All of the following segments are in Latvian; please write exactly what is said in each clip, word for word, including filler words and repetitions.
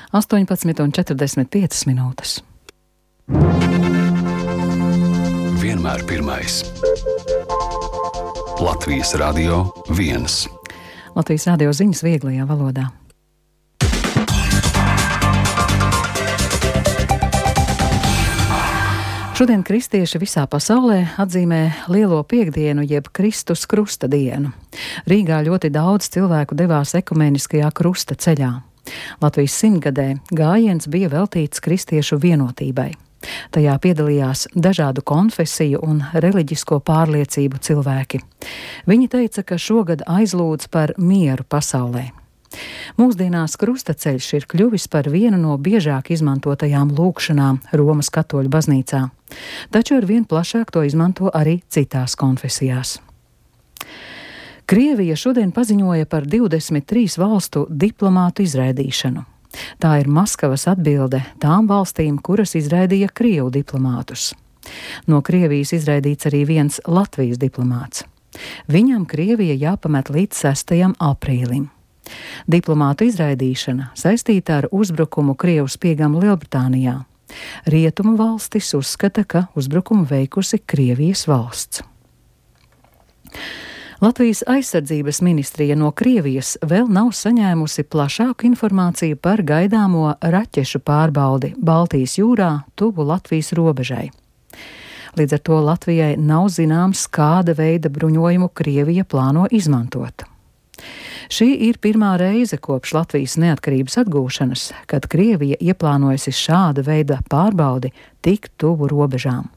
astoņpadsmit un četrdesmit piecas minūtes. Vienmēr pirmais. Latvijas Radio viens. Latvijas radio ziņas vieglajā valodā. Šodien kristieši visā pasaulē atzīmē Lielo Piektdienu jeb Kristus krusta dienu. Rīgā ļoti daudz cilvēku devās ekumeniskajā krusta ceļā. Latvijas simtgadē gājiens bija veltīts kristiešu vienotībai. Tajā piedalījās dažādu konfesiju un reliģisko pārliecību cilvēki. Viņi teica, ka šogad aizlūdz par mieru pasaulē. Mūsdienās krustaceļš ir kļuvis par vienu no biežāk izmantotajām lūgšanām Romas katoļu baznīcā, taču ar vien plašāk to izmanto arī citās konfesijās. Krievija šodien paziņoja par divdesmit trīs valstu diplomātu izraidīšanu. Tā ir Maskavas atbilde tām valstīm, kuras izraidīja Krievu diplomātus. No Krievijas izraidīts arī viens Latvijas diplomāts. Viņam Krievija jāpamet līdz sestajam aprīlim. Diplomātu izraidīšana saistīta ar uzbrukumu Krievu spiegam Lielbritānijā. Rietumu valstis uzskata, ka uzbrukumu veikusi Krievijas valsts. Latvijas aizsardzības ministrija no Krievijas vēl nav saņēmusi plašāku informāciju par gaidāmo raķešu pārbaudi Baltijas jūrā tuvu Latvijas robežai. Līdz ar to Latvijai nav zināms, kāda veida bruņojumu Krievija plāno izmantot. Šī ir pirmā reize kopš Latvijas neatkarības atgūšanas, kad Krievija ieplānojusi šāda veida pārbaudi tik tuvu robežām.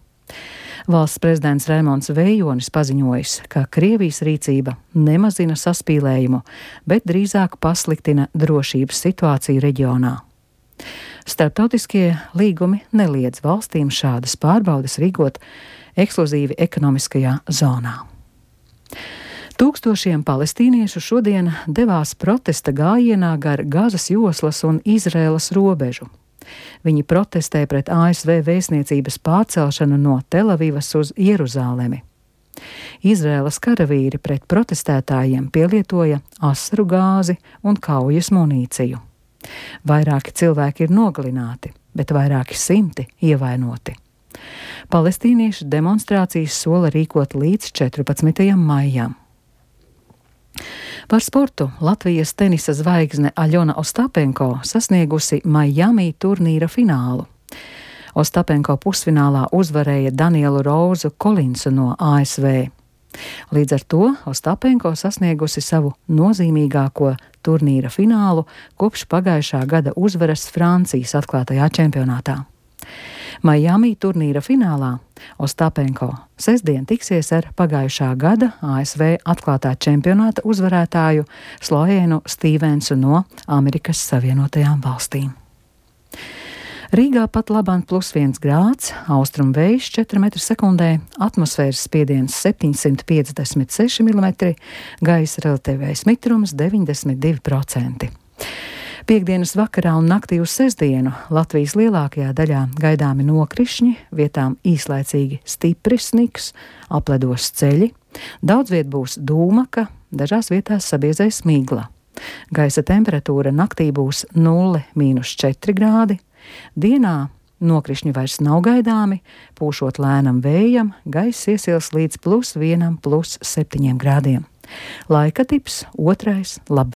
Valsts prezidents Raimonds Vejonis paziņojis, ka Krievijas rīcība nemazina saspīlējumu, bet drīzāk pasliktina drošības situāciju reģionā. Starptautiskie līgumi neliedz valstīm šādas pārbaudes rīkot ekskluzīvi ekonomiskajā zonā. Tūkstošiem palestīniešu šodien devās protesta gājienā gar Gazas joslas un Izraēlas robežu. Viņi protestē pret A S V vēstniecības pārcelšanu no Telavivas uz Jeruzālemi. Izraēlas karavīri pret protestētājiem pielietoja asaru gāzi un kaujas munīciju. Vairāki cilvēki ir nogalināti, bet vairāki simti ievainoti. Palestīniešu demonstrācijas sola rīkot līdz četrpadsmitajam maijam. Par sportu Latvijas tenisa zvaigzne Aļona Ostapenko sasniegusi Miami turnīra finālu. Ostapenko pusfinālā uzvarēja Danielu Rozu Kolinsu no A S V. Līdz ar to Ostapenko sasniegusi savu nozīmīgāko turnīra finālu kopš pagājušā gada uzvaras Francijas atklātajā čempionātā. Miami turnīra finālā Ostapenko sestdien tiksies ar pagājušā gada A S V atklātā čempionāta uzvarētāju Sloēnu Stīvensu no Amerikas Savienotajām valstīm. Rīgā pat labāk plus viens grāds, austrumu vējš četri metri sekundē, atmosfēras spiediens septiņsimt piecdesmit seši milimetri, gaisa relatīvais mitrums deviņdesmit divi procenti. Piektdienas vakarā un naktī uz sestdienu Latvijas lielākajā daļā gaidāmi nokrišņi, vietām īslaicīgi stiprs sniks, apledos ceļi, daudz viet būs dūmaka, dažās vietās sabiezēs migla. Gaisa temperatūra naktī būs nulle mīnus četri grādi, dienā nokrišņi vairs nav gaidāmi, pūšot lēnam vējam, gaiss iesils līdz plus vienam plus septiņiem grādiem. Laika tips otrais lab.